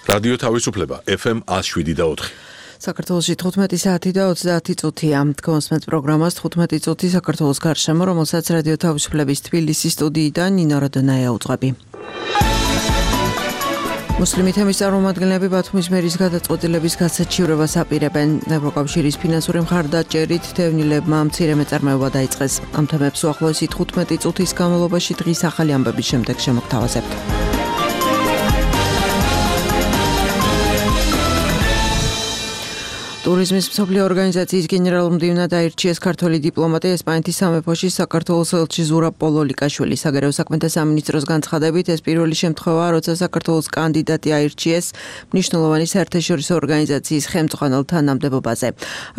რადიო თავისუფლება FM 107.4. საქართველოში 15 საათი და 30 წუთია. თქვენს პროგრამას 15 წუთი საქართველოს გარშემო, რომელსაც რადიო თავისუფლების თბილისის სტუდიიდან ნინო როდონაია უძღვები. მუსლიმი თემის წარმომადგენლები ბათუმის მერის გადაწყვეტილების გასაჩივრებას აპირებენ. ევროკავშირის ფინანსური მხარდაჭერით თევნილებმა მცირე მეწარმეობა დაიწყეს. ამ თემებს უახლოესი 15 წუთის განმავლობაში დღის ახალი ამბების შემდეგ შემოგთავაზებთ. ტურიზმის მსოფლიო ორგანიზაციის გენერალურ მდივნად აირჩიეს ქართველი დიპლომატი ესპანეთის სამეფოში საქართველოს ელჩი ზურაბ პოლოლიკაშვილი. საგარეო საქმეთა სამინისტროს განცხადებით, ეს პირველი შემთხვევაა, როცა საქართველოს კანდიდატი აირჩიეს მნიშვნელოვანი საერთაშორისო ორგანიზაციის ხელმძღვანელ თანამდებობაზე.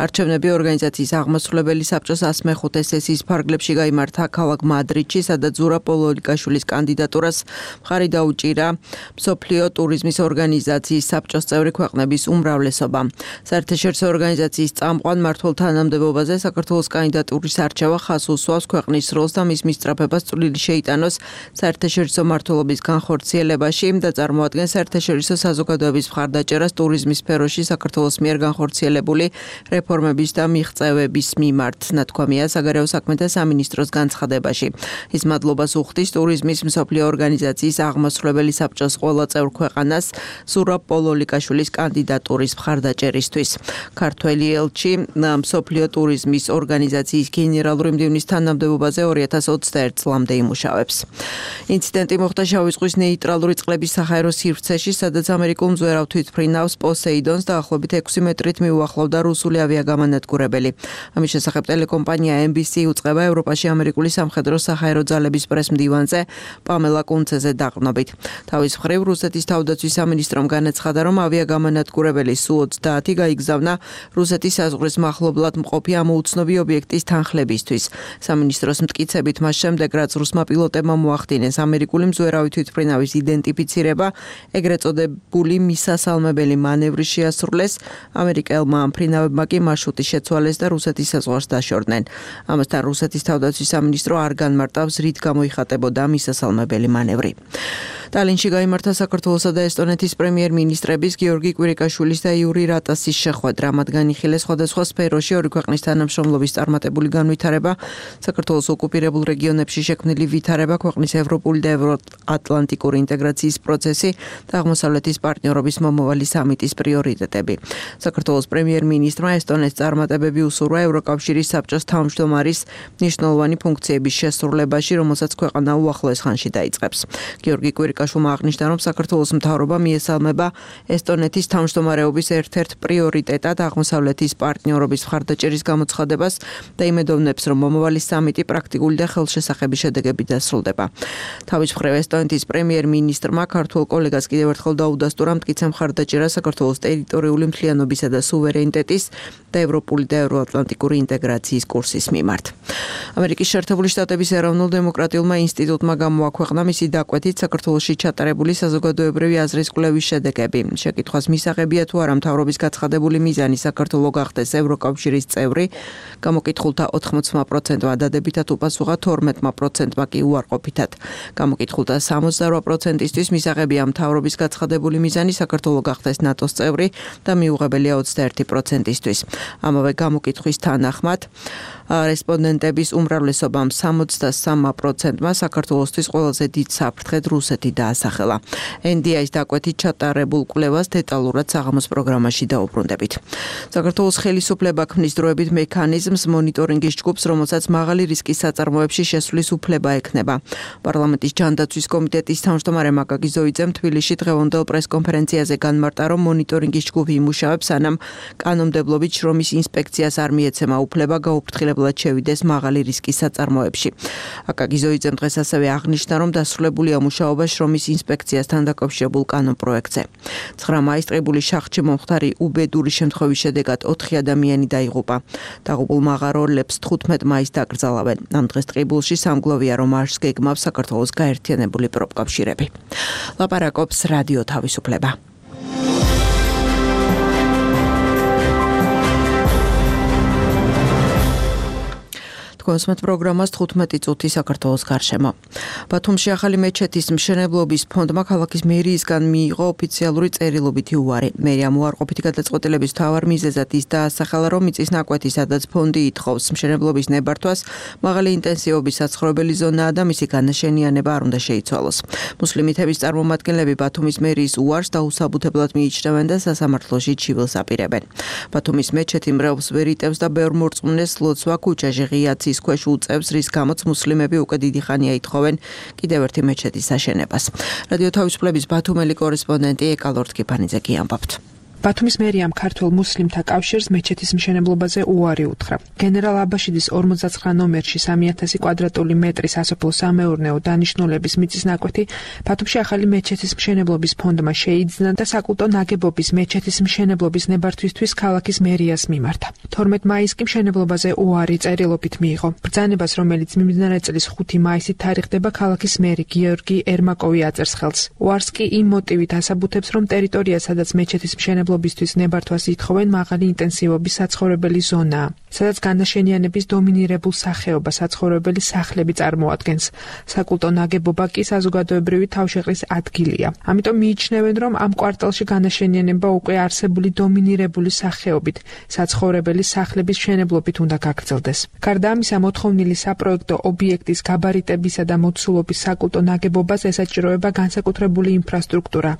არჩევნები ორგანიზაციის აღმასრულებელი საბჭოს 105 სესიის ფარგლებში გაიმართა ქალაქ მადრიდში, სადაც ზურაბ პოლოლიკაშვილის კანდიდატურას მხარი დაუჭირა მსოფლიო ტურიზმის ორგანიზაციის საბჭოს წევრი ქვეყნების უმრავლესობა. საერთაშორისო ორგანიზაციის წამყვან მმართველ თანამდებობაზე საქართველოს კანდიდატურის არჩევა ხაზს უსვავს ქვეყნის როლს და მის მისწრაფებას წვლილი შეიტანოს საერთაშორისო მმართველობის განხორციელებაში და წარმოადგენს საერთაშორისო საზოგადოების მხარდაჭერას ტურიზმის სფეროში საქართველოს მიერ განხორციელებული რეფორმების და მიღწევების მიმართ, ნათქვამია საგარეო საქმეთა სამინისტროს განცხადებაში. ის მადლობას უხდის ტურიზმის მსოფლიო ორგანიზაციის აღმასრულებელი საბჭოს ყველა წევრ ქვეყანას ზურაბ პოლოლიკაშვილის კანდიდატურის მხარდაჭერისთვის. ქართველი ელჩი მსოფლიო ტურიზმის ორგანიზაციის გენერალური მდივნის თანამდებობაზე 2021 წლამდე იმუშავებს. ინციდენტი მოხდა შავი ზღვის ნეიტრალური წყლების საჰაერო სივრცეში, სადაც ამერიკულ მძვერავ თვითმფრინავს პოსეიდონს დაახლოებით 6 მეტრით მიუახლოვდა რუსული ავიაგამანადგურებელი. ამის შესახებ ტელეკომპანია NBC უწყება ევროპაში ამერიკული სამხედრო საჰაერო ძალების პრეს-მდივანზე პამელა კუნცეზე დაყრდნობით. თავის მხრივ რუსეთის თავდაცვის სამინისტრომ განაცხადა, რომ ავიაგამანადგურებელი Su-30 გაიგზავნა რუსეთის საზღვრის მახლობლად მყოფი ამ უცნობი ობიექტის თანხლებისთვის. სამინისტროს მტკიცებით, მას შემდეგ, რაც რუსმა პილოტებმა მოახდინეს ამერიკული მძვერავი თვითმფრინავის იდენტიფიცირება, ეგრეთ წოდებული მისასალმებელი მანევრი შეასრულეს, ამერიკელმა მფრინავებმა კი მარშრუტი შეცვალეს და რუსეთის საზღვარს დაშორდნენ. ამასთან რუსეთის თავდაცვის სამინისტრო არ განმარტავს, რით გამოიხატებოდა მისასალმებელი მანევრი. ტალინში გაიმართა საქართველოსა და ესტონეთის პრემიერ-მინისტრების გიორგი კვირიკაშვილის და იური რატასის შეხვედრა. მათგან იხილეს სხვადასხვა სფეროში ორი ქვეყნის თანამშრომლობის წარმატებული განვითარება, საქართველოს ოკუპირებულ რეგიონებში შექმნილი ვითარება, ქვეყნის ევროპული და ევროატლანტიკური ინტეგრაციის პროცესი და აღმოსავლეთის პარტნიორობის მომავალი სამიტის პრიორიტეტები. საქართველოს პრემიერ-მინისტრმა ესტონეთს წარმატებები უსურვა ევროკავშირის საბჭოს თავმჯდომარის მნიშვნელოვანი ფუნქციების შესრულებაში, რომელსაც ქვეყანა უახლოეს ხანში დაიწყებს. გიორგი კვირიკაშვილმა აღნიშნა, რომ საქართველოს მთავრობა მიესალმება ესტონეთის თავმჯდომარეობის ერთ-ერთ პრიორიტეტად აღმოსავლეთის პარტნიორობის მხარდაჭერის გამოცხადებას და იმედოვნებს, რომ მომავალი სამიტი პრაქტიკული და ხელშესახები შედეგებით დასრულდება. თავის მხრივ ესტონეთის პრემიერ-მინისტრმა ქართულ კოლეგას კიდევ ერთხელ დაუდასტურა მტკიცე მხარდაჭერა საქართველოს ტერიტორიული მთლიანობისა და სუვერენიტეტის და ევროპული და ევროატლანტიკური ინტეგრაციის კურსის მიმართ. ამერიკის შეერთებული შტატების ეროვნულ დემოკრატიულმა ინსტიტუტმა გამოაქვეყნა მისი დაკვეთით საქართველოში ჩატარებული საზოგადოებრივი აზრის კვლევის შედეგები. შეკითხვას მისაღებია თუ არა მთავრობის გაცხადებული მიზანი საქართველოს გახდეს ევროკავშირის წევრი, გამოკითხულთა 80%-მა დადებითად უპასუხა, 12%-მა კი უარყოფითად. გამოკითხულთა 68%-ისთვის მისაღებია მთავრობის გაცხადებული მიზანი საქართველოს გახდეს ნატოს წევრი და მიუღებელია 21%-ისთვის. ამავე გამოკითხვის თანახმად რესპონდენტების უმრავლესობამ 63%-მა საქართველოსთვის ყველაზე დიდ საფრთხედ რუსეთი დაასახელა. NDI-ის დაკვეთით ჩატარებულ კვლევას დეტალურად საღამოს პროგრამაში დაუბრუნდებით. საქართველოს ხელისუფლება ქმნის დროებით მექანიზმს მონიტორინგის ჯგუფს, რომელსაც მაღალი რისკის საწარმოებში შესვლის უფლება ექნება. პარლამენტის ჯანდაცვის კომიტეტის თავმჯდომარე მაკაკი ზოიძემ თბილისში დღევანდელ პრესკონფერენციაზე განმარტა, რომ მონიტორინგის ჯგუფი იმუშავებს, სანამ კანონმდებლობით შრომის ინსპექციას არ მიეცემა უფლება გაუფრთხილებლად შევიდეს მაღალი რისკის საწარმოებში. აკაკი ზოიძემ დღეს ასევე აღნიშნა, რომ დასრულებულია მუშაობა შრომის ინსპექციასთან დაკავშირებულ კანონპროექტზე. 9 მაისს ტყიბულის შახტში მომხდარი უბედური შემთხვევის შედეგად 4 ადამიანი დაიღუპა. დაღუპულ მაღაროელებს 15 მაისს დაკრძალავენ. ამ დღეს ტყიბულში სამგლოვია, რომ არს გეგმავს საქართველოს გაერთიანებული პროფკავშირები. ლაპარაკობს რადიო თავისუფლება. თქვენსმეთ პროგრამას 15 წუთი საქართველოს გარშემო. ბათუმში ახალი მეჩეთის მშენებლობის ფონდმა ქალაქის მერიისგან მიიღო ოფიციალური წერილობითი უარი. მერიამ უარყოფითი გადაწყვეტილების მთავარ მიზეზად ის დაასახელა, რომ მიწის ნაკვეთი, სადაც ფონდი ითხოვს მშენებლობის ნებართვას, მაღალი ინტენსივობის საცხოვრებელი ზონაა და მისი განაშენიანება არ უნდა შეიცვალოს. მუსლიმითების წარმომადგენლები ბათუმის მერიის უარს დაუსაბუთებლად მიიჩნევენ და სასამართლოში ჩივილს აპირებენ. ბათუმის მეჩეთი მრევლს ვერ იტევს და ბევრ მორწმუნეს ლოცვა ქუჩაში ღია ცის ქვეშ უწევს, რის გამოც მუსლიმები უკვე დიდი ხანია ითხოვენ კიდევ ერთი მეჩეთის აშენებას. რადიო თავისუფლების ბათუმელი კორესპონდენტი ეკალორთქიფანიძე კი ამბობთ. ბათუმის მერიამ ქართველ მუსლიმთა კავშირს მეჩეთის მშენებლობაზე უარი უთხრა. გენერალ აბაშიძის 59 ნომერში 3000 კვადრატული მეტრის სასოფლო-სამეურნეო დანიშნულების მიწის ნაკვეთი ბათუმში ახალი მეჩეთის მშენებლობის ფონდმა შეიძინა და საკულტო ნაგებობის მეჩეთის მშენებლობის ნებართვისთვის ქალაქის მერიას მიმართა. 12 მაისს კი მშენებლობაზე უარი წერილობით მიიღო. ბრძანებას, რომელიც მიმდინარე წლის 5 მაისით თარიღდება, ქალაქის მერი გიორგი ერმაკოვი აწერს ხელს. უარს კი იმ მოტივით ასაბუთებს, რომ ტერიტორია, სადაც მეჩეთის მშენებლობისთვის ნებართვას ითხოვენ, მაღალი ინტენსივობის საცხოვრებელი ზონაა, სადაც განაშენიანების დომინირებულ სახეობას საცხოვრებელი სახლები წარმოადგენს. საკულტო ნაგებობა კი საზოგადოებრივი თავშეყრის ადგილია. ამიტომ მიიჩნევენ, რომ ამ კვარტალში განაშენიანება უკვე არსებული დომინირებული სახეობით საცხოვრებელი სახლების მშენებლობით უნდა გაგრძელდეს. გარდა ამისა, მოთხოვნილი საპროექტო ობიექტის გაბარიტებისა და მოცულობის საკულტო ნაგებობას ესაჭიროება განსაკუთრებული ინფრასტრუქტურა,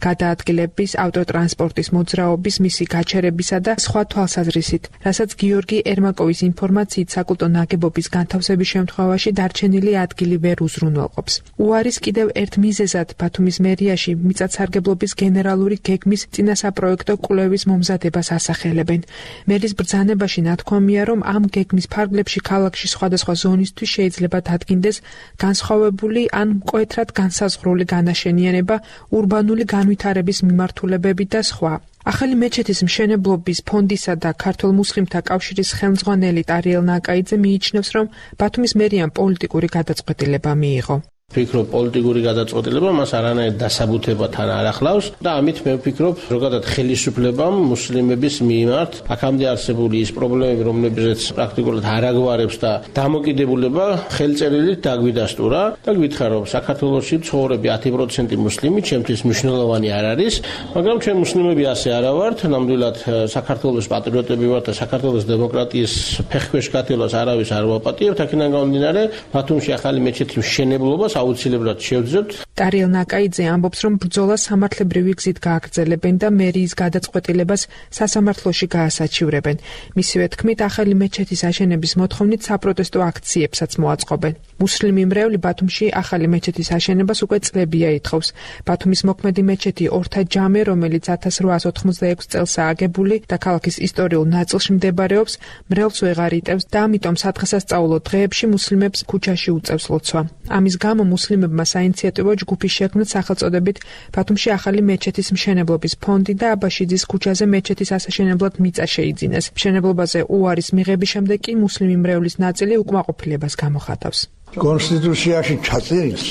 გადაადგილების, ავტოტრანსპორტის მოძრაობის, მისი გაჩერებისა და სხვა თვალსაზრისით, რასაც გიორგი ერმაკოვის ინფორმაციით საკულტო ნაგებობის განთავსების შემთხვევაში დარჩენილი ადგილი ვერ უზრუნველყოფს. უარის კიდევ ერთ მიზეზად ბათუმის მერიაში მიწათსარგებლობის გენერალური გეგმის წინასაპროექტო კვლევის მომზადებას ასახელებენ. მერის ბრძანებაში ნათქვამია, რომ ამ გეგმის ფარგლებში ქალაქში სხვადასხვა ზონისთვის შეიძლება დადგინდეს განსხვავებული ან მკვეთრად განსაზღვრული განაშენიანება, ურბანული განვითარების მიმართულებები და სხვა. ახალი მეჩეთის მშენებლობის ფონდისა და ქართველ მუსლიმთა კავშირის ხელმძღვანელი ტარიელ ნაკაიძე მიიჩნევს, რომ ბათუმის მერიამ პოლიტიკური გადაწყვეტილება მიიღო. ვფიქრობ, პოლიტიკური გადაწყვეტილება მას არანაირ დასაბუთებასთან არ ახლავს და ამით მე ვფიქრობ, ზოგადად ხელისუფლებამ მუსლიმების მიმართ აქამდე არსებული ის პრობლემები, რომლებზეც პრაქტიკულად არ აგვარებს და დამოკიდებულება ხელწერილით დაგვიდასტურა და გითხრა, რომ საქართველოში მცხოვრები 10% მუსლიმი ჩემთვის მნიშვნელოვანი არ არის, მაგრამ ჩვენ მუსლიმები ასე არა ვართ, ნამდვილად საქართველოს პატრიოტები ვართ და საქართველოს დემოკრატიის ფეხქვეშ გათელას არავის არ ვაპატიებთ, აქედან გამომდინარე, ბათუმში ახალი მეჩეთის მშენებლობას აუცილებლად შევძლებთ. ტარიელ ნაკაიძე ამბობს, რომ ბრძოლა სამართლებრივი გზით გააგრძელებენ და მერიის გადაწყვეტილებას სასამართლოში გაასაჩივრებენ. მისივე თქმით, ახალი მეჩეთის აშენების მოთხოვნით საპროტესტო აქციებსაც მოაწყობენ. მუსლიმი მრევლი ბათუმში ახალი მეჩეთის აშენებას უკვე წლებია ითხოვს. ბათუმის მოქმედი მეჩეთი ორთა ჯამე, რომელიც 1886 წელსაა აგებული და ქალაქის ისტორიულ ნაწილში მდებარეობს, მრევლს ვეღარ იტევს და ამიტომ სადღესასწაულო დღეებში მუსლიმებს ქუჩაში უწევს ლოცვა. ამის გამო მუსლიმებმა საინიციატივო ჯგუფი შექმნეს სახელწოდებით ბათუმში ახალი მეჩეთის მშენებლობის ფონდი და აბაშიძის ქუჩაზე მეჩეთის ასაშენებლად მიწა შეიძინეს. მშენებლობაზე უარის მიღების შემდეგ კი მუსლიმი მრევლის ნაწილი უკმაყოფილებას გამოხატავს. კონსტიტუციაში ჩაწერილს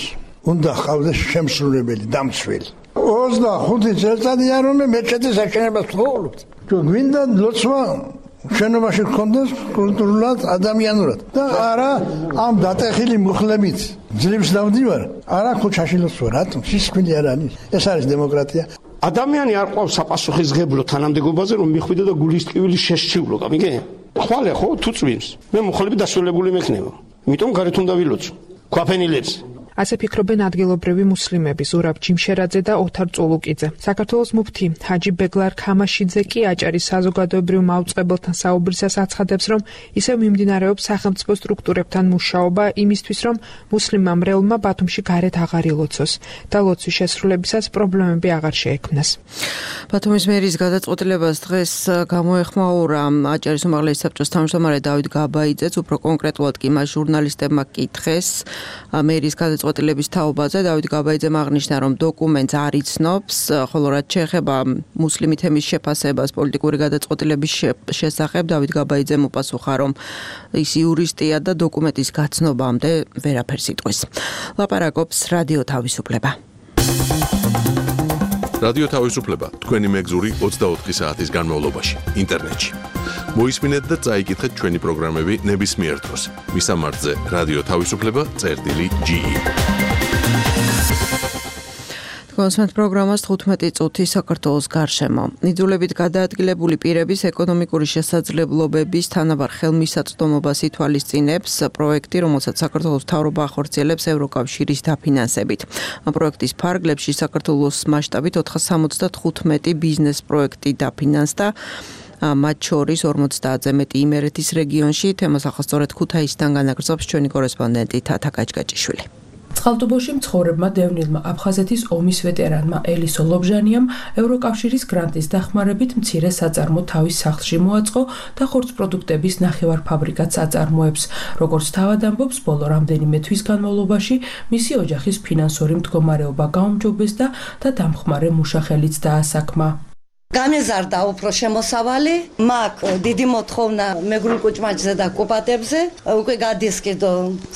უნდა ხავდეს შემსრულებელი დამცველი. 25 წელიწადია რომ მეჩეთის აშენებას ვთხოვთ. გვინდა ლოცვა შენობაში გქონდეს კულტურულად, ადამიანურად და არა ამ დატეხილი მუხლებით ძლივს დავდივარ, არა ქუჩაში ლოცვა, რატომ? სისხლი არ არის. ეს არის დემოკრატია. ადამიანი არ ყავს საპასუხისმგებლო თანამდებობაზე, რომ მიხვიდე და გულის ტკივილი შეშჩივლო, გამიგე? ხვალე ხო თუ წვიმს. მე მუხლები დასრულებული მექნება. იმიტომ გარეთ უნდა ვილოცო. ქვაფენილებს ასე ფიქრობენ ადგილობრივი მუსლიმები ზურაბ ჯიმშერაძე და ოთარ წულუკიძე. საქართველოს მუფთი ჰაჯი ბეგლარ ქამაშიძე კი აჭარის საზოგადოებრივ მაუწყებელთან საუბრისას აცხადებს, რომ ისევ მიმდინარეობს სახელმწიფო სტრუქტურებთან მუშაობა იმისთვის, რომ მუსლიმმა მრევლმა ბათუმში გარეთ აღარ ილოცოს და ლოცვის შესრულებისას პრობლემები აღარ შეექმნას. ბათუმის მერიის გადაწყვეტილებას დღეს გამოეხმაურა აჭარის უმაღლესი საბჭოს თავმჯდომარე დავით გაბაიძეც, უფრო კონკრეტულად კი მას ჟურნალისტებმა კითხეს მერიის გადაწყვეტილების თაობაზე. დავით გაბაიძემ აღნიშნა, რომ დოკუმენტს არ იცნობს, ხოლო რაც შეეხება მუსლიმი თემის შეფასებას პოლიტიკური გადაწყვეტილების შესახებ, დავით გაბაიძემ უპასუხა, რომ ის იურისტია და დოკუმენტის გაცნობამდე ვერაფერს იტყვის. ლაპარაკობს რადიო თავისუფლება. რადიო თავისუფლება თქვენი მეგზური 24 საათის განმავლობაში ინტერნეტში. მოისმინეთ და წაიკითხეთ ჩვენი პროგრამები ნებისმიერ დროს. მისამართზე რადიო თავისუფლება.ge კონსვენთ პროგრამას 15 წუთი საქართველოს გარშემო. იძულებით გადაადგილებული პირების ეკონომიკური შესაძლებლობების თანაბარ ხელმისაწვდომობას ითვალისწინებს პროექტი, რომელსაც საქართველოს მთავრობა ახორციელებს ევროკავშირის დაფინანსებით. პროექტის ფარგლებში საქართველოს მასშტაბით 475 ბიზნეს პროექტი დაფინანსდა. მათ შორის 50-ზე მეტი იმერეთის რეგიონში. თემას ახასწორეთ ქუთაისიდან განაგრძობს ჩვენი კორესპონდენტი თათა გაჭგაჭიშვილი. წყალტუბოში მცხოვრებმა დევნილმა აფხაზეთის ომის ვეტერანმა ელისო ლობჟანიამ ევროკავშირის გრანტის დახმარებით მცირე საწარმო თავის სახლში მოაწყო და ხორცპროდუქტების ნახევარფაბრიკაც აწარმოებს. როგორც თავად ამბობს, ბოლო რამდენიმე თვის განმავლობაში მისი ოჯახის ფინანსური მდგომარეობა გაუმჯობესდა და დამხმარე მუშახელიც დაასაქმა. გამეზარდა უფრო შემოსავალი, მაგ დიდი მოთხოვნა მეგრულ კუჭმაჭზე და კუპატებზე, უკვე გადის კიდო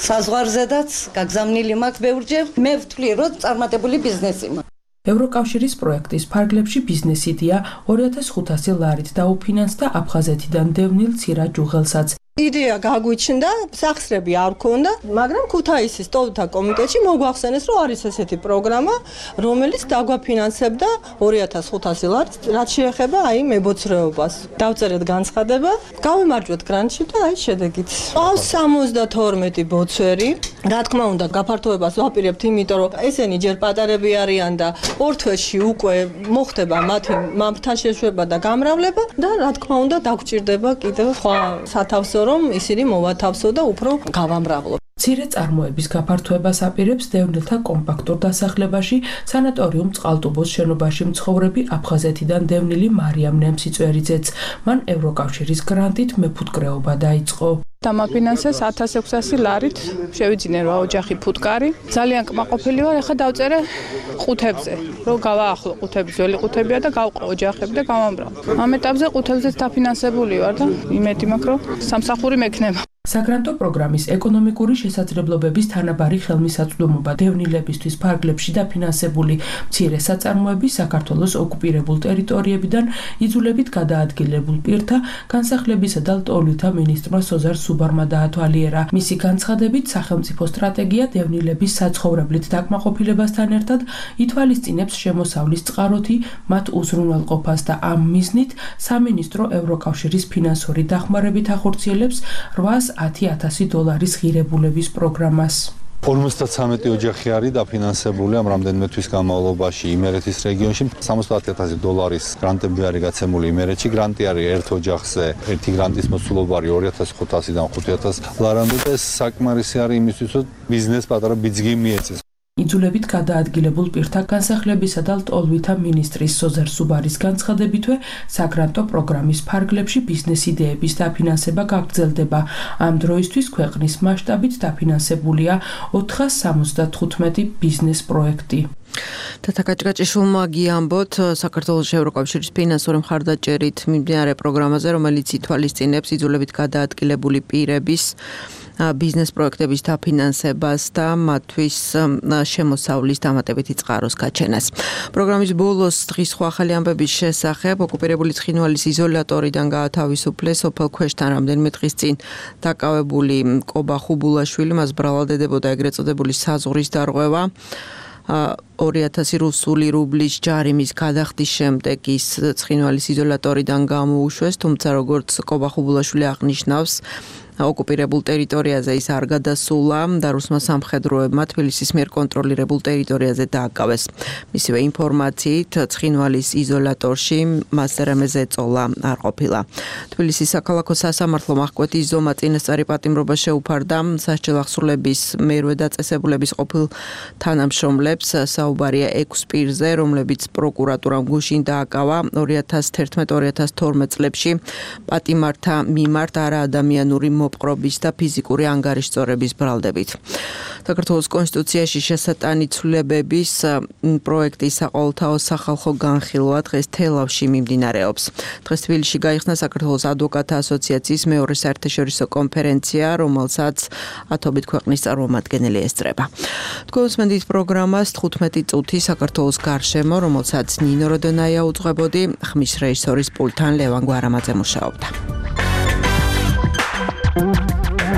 საზღვარზედაც, გაგზავნილი მაქვს ბევრჯერ. მე ვთვლი, რომ წარმატებული ბიზნესი მაქვს. ევროკავშირის პროექტის ფარგლებში ბიზნეს იდეა 2500 ლარით დაუფინანსდა აფხაზეთიდან დევნილ ცირა ჯუღელსაც. იდეა გაგვიჩნდა, სახსრები არ ქონდა, მაგრამ ქუთაისის სტოლთა კომიტეტში მოგვახსენეს, რომ არის ესეთი პროგრამა, რომელიც დაგვაფინანსებდა 2500 ლარს, რაც შეეხება აი მებოცრეობას. დავწერეთ განცხადება, გავიმარჯვეთ გრანტში და აი შედეგით. ყავს 72 ბოცვერი. რა თქმა უნდა, გაფართოებას ვაპირებთ, იმიტომ რომ ესენი ჯერ პატარები არიან და ორ თვეში უკვე მოხდება მათი მამთან შეშვება და გამრავლება და რა თქმა უნდა, დაგვჭირდება კიდევ სხვა სათავსო რომ ისინი მოვათავსო და უფრო გავამრავლო. მცირე წარმოების გაფართოებას აპირებს დევნილთა კომპაქტურ დასახლებაში სანატორიუმ წყალტუბოს შენობაში მცხოვრები აფხაზეთიდან დევნილი მარიამ ნემსიწვერიძეც. მან ევროკავშირის გრანტით მეფუტკრეობა დაიწყო. დამაფინანსეს 1600 ლარით, შევიძინე რა ოჯახი ფუტკარი. ძალიან კმაყოფილი ვარ, ახლა დავწერე ყუთებზე, რომ გავაახლო ყუთები, ძველი ყუთებია და გავყო ოჯახები და გავამბრავ. ამ ეტაპზე ყუთებზეც დაფინანსებული ვარ და იმედი მაქვს, რომ სამსახური მექნება. საგრანტო პროგრამის ეკონომიკური შესაძლებლობების თანაბარი ხელმისაწვდომობა დევნილებისთვის ფარგლებში დაფინანსებული მცირე საწარმოები საქართველოს ოკუპირებულ ტერიტორიებიდან იძულებით გადაადგილებულ პირთა განსახლებისა და ლტოლვილთა მინისტრმა სოზარ სუბარმა დაათვალიერა. მისი განცხადებით, სახელმწიფო სტრატეგია დევნილების საცხოვრებლით დაკმაყოფილებასთან ერთად ითვალისწინებს შემოსავლის წყაროთი მათ უზრუნველყოფას და ამ მიზნით სამინისტრო ევროკავშირის ფინანსური დახმარებით ახორციელებს 810,000 დოლარის ღირებულების პროგრამას. 53 ოჯახი არის დაფინანსებული ამ რამდენიმე თვის განმავლობაში იმერეთის რეგიონში. 70,000 დოლარის გრანტები არის გაცემული იმერეთში. გრანტი არის ერთ ოჯახზე, ერთი გრანტის მოცულობა არის 2500-დან 5000 ლარამდე და ეს საკმარისი არის იმისთვის, რომ ბიზნეს პატარა ბიძგი მიეწეს. იძულებით გადაადგილებულ პირთა განსახლებისა და ლტოლვილთა მინისტრის სოზარ სუბარის განცხადებითვე საგრანტო პროგრამის ფარგლებში ბიზნეს იდეების დაფინანსება გაგრძელდება. ამ დროისთვის ქვეყნის მასშტაბით დაფინანსებულია 475 ბიზნეს პროექტი. თათა გაჭგაჭიშვილმა გიამბოთ საქართველოს ევროკავშირის ფინანსური მხარდაჭერით მიმდინარე პროგრამაზე, რომელიც ითვალისწინებს იძულებით გადაადგილებული პირების ბიზნეს პროექტების დაფინანსებას და მათთვის შემოსავლის დამატებითი წყაროს გაჩენას. პროგრამის ბოლოს დღის სხვა ახალი ამბების შესახებ ოკუპირებული ცხინვალის იზოლატორიდან გაათავისუფლეს სოფელ ქვეშთან რამდენიმე დღის წინ დაკავებული კობა ხუბულაშვილი, მას ბრალდებოდა ეგრეთ წოდებული საზღვრის დარღვევა. 2000 რუსული რუბლის ჯარიმის გადახდის შემდეგ ის ცხინვალის იზოლატორიდან გამოუშვეს, თუმცა როგორც კობა ხუბულაშვილი აღნიშნავს, ოკუპირებულ ტერიტორიაზე ის არ გადასულა და რუსმა სამხედროებმა თბილისის მიერ კონტროლირებულ ტერიტორიაზე დააკავეს. მისივე ინფორმაციით, ცხინვალის იზოლატორში მას რამე ზეწოლა არ ყოფილა. თბილისის საქალაქო სასამართლო აღკვეთის ზომა წინასწარი პატიმრობა შეუფარდა სასჯელ აღსრულების მერვე დაწესებულების ყოფილ თანამშრომლებს. საუბარია 6 პირზე, რომლებიც პროკურატურამ გუშინ დააკავა 2011-2012 წლებში პატიმართა მიმართ არაადამიანური მოპყრობის და ფიზიკური ანგარიშწორების ბრალდებით. საქართველოს კონსტიტუციაში შესატანი ცვლილებების პროექტის საყოველთაო სახალხო განხილვა დღეს თელავში მიმდინარეობს. დღეს თბილისში გაიხსნა საქართველოს ადვოკატთა ასოციაციის მეორე საერთაშორისო კონფერენცია, რომელსაც ათობით ქვეყნის წარმომადგენელი ესწრება. თქვენს მენდით პროგრამას 15 წუთი საქართველოს გარშემო, რომელსაც ნინო როდონაია უძღვებოდი, ხმის რეჟისორის პულტთან ლევან გვარამაძე მუშაობდა.